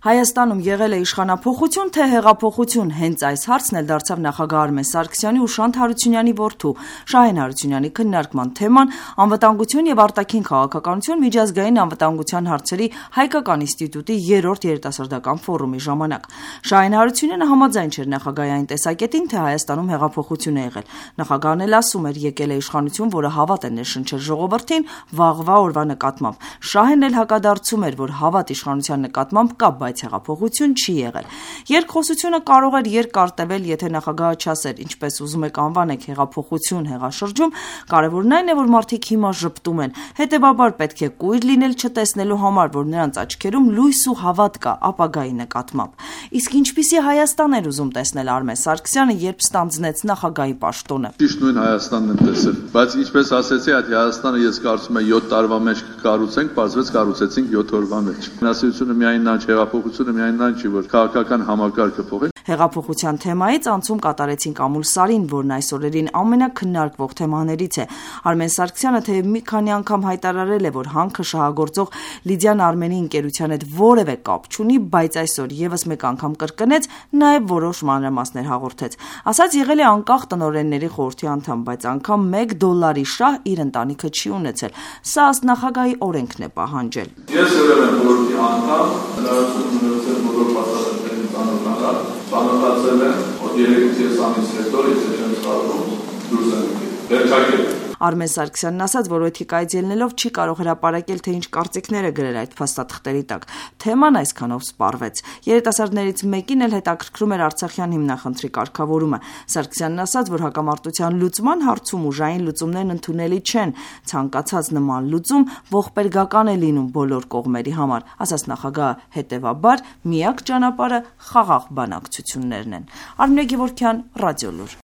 Հայաստանում եղել է իշխանափոխություն, թե հեղափոխություն, հենց այս հարցն էլ դարձավ նախագահ Արմեն Սարգսյանի ու Շանթ Հարությունյանի որդու Շահեն Հարությունյանի քննարկման թեման անվտանգություն եւ արտաքին քաղաքականություն միջազգային անվտանգության հարցերի հայկական ինստիտուտի 3-րդ երիտասարդական ֆորումի ժամանակ։ Շահեն Հարությունյանը համաձայն չէր նախագահի այն տեսակետին, թե Հայաստանում հեղափոխություն է եղել։ Նախագահն էլ ասում էր, եկել է իշխանություն, որը հավատ է ներշնչել ժողովրդին վաղվա օրվա նկատմամբ։ Շահեն էլ հակադարձում էր, որ հավատ իշխանության նկատմամբ կա, բայց հեղափոխություն չի եղել։ Երկխոսությունը կարող էր երկար տևել, եթե նախագահը չասեր, ինչպես ուզում եք անվանեք հեղափոխություն հեղաշրջում, կարևորն այն է, որ մարդիկ հիմա ժպտում են։ Հետևաբար պետք է կույր լինել չտեսնելու համար, որ նրանց աչքերում լույս ու հավատ կա ապագայի նկատմամբ։ Իսկ ինչպիսի Հայաստան էր ուզում տեսնել Արմեն Սարգսյանը, երբ ստանձնեց նախագահի պաշտոնը։ Ճիշտ նույն Հայաստանն եմ տեսել, բայց ինչպես ասեցի, այդ Հայաստանը ես կարծում եմ 7 տարվա մեջ կկառուցենք, բացվեց կառուցեցինք 7 օրվա մեջ։ Հնասիրությունը միայն նա չէ, հեղափոխությունը միայն նա չի, որ քաղաքական համակարգը փոխենք։ Հեղափոխության թեմայից անցում կատարեցինք Ամուլ Սարին, որն այս օրերին ամենակննարկվող թեմաներից է։ Արմեն Սարգսյանը թեև մի քանի անգամ հայտարարել է, որ հանքը շահագործող Լիդիան Արմենի ընկերության հետ որևէ կապ չունի, բայց այսօր եւս մեկ անգամ կրկնեց, նաեւ որոշ մանրամասներ հաղորդեց։ Ասած եղել է անկախ տնօրենների խորհրդի անդամ, բայց անգամ $1 շահ իր ընտանիքը չի ունեցել։ Սա ըստ նախագահի օրենքն է պահանջել։ Ես եղել եմ խորհրդի անդամ, հնարավորություն ունեցել բոլոր բացատրությունների ծանոթանալ, ծանոթացել եմ, որ 3-ից ամիս հետո ես չեմ կարող դուրս եմ վերջակել։ Արմեն Սարգսյանն ասաց, որ էթիկայից ելնելով չի կարող հրապարակել, թե ինչ կարծիքներ է գրել այդ փաստաթղթերի տակ։ Թեման այսքանով սպառվեց։ Երիտասարդներից մեկին էլ հետաքրքրում էր Արցախյան հիմնախնդրի կարգավորումը։ Սարգսյանն ասաց, որ հակամարտության լուծման հարցում ուժային լուծումներն ընդունելի չեն։ Ցանկացած նման լուծում ողբերգական է լինում բոլոր կողմերի համար, ասաց նախագահը, հետևաբար միակ ճանապարհը խաղաղ բանակցություններն են։ Արմինե Գևորգյան, Ռադիոլուր։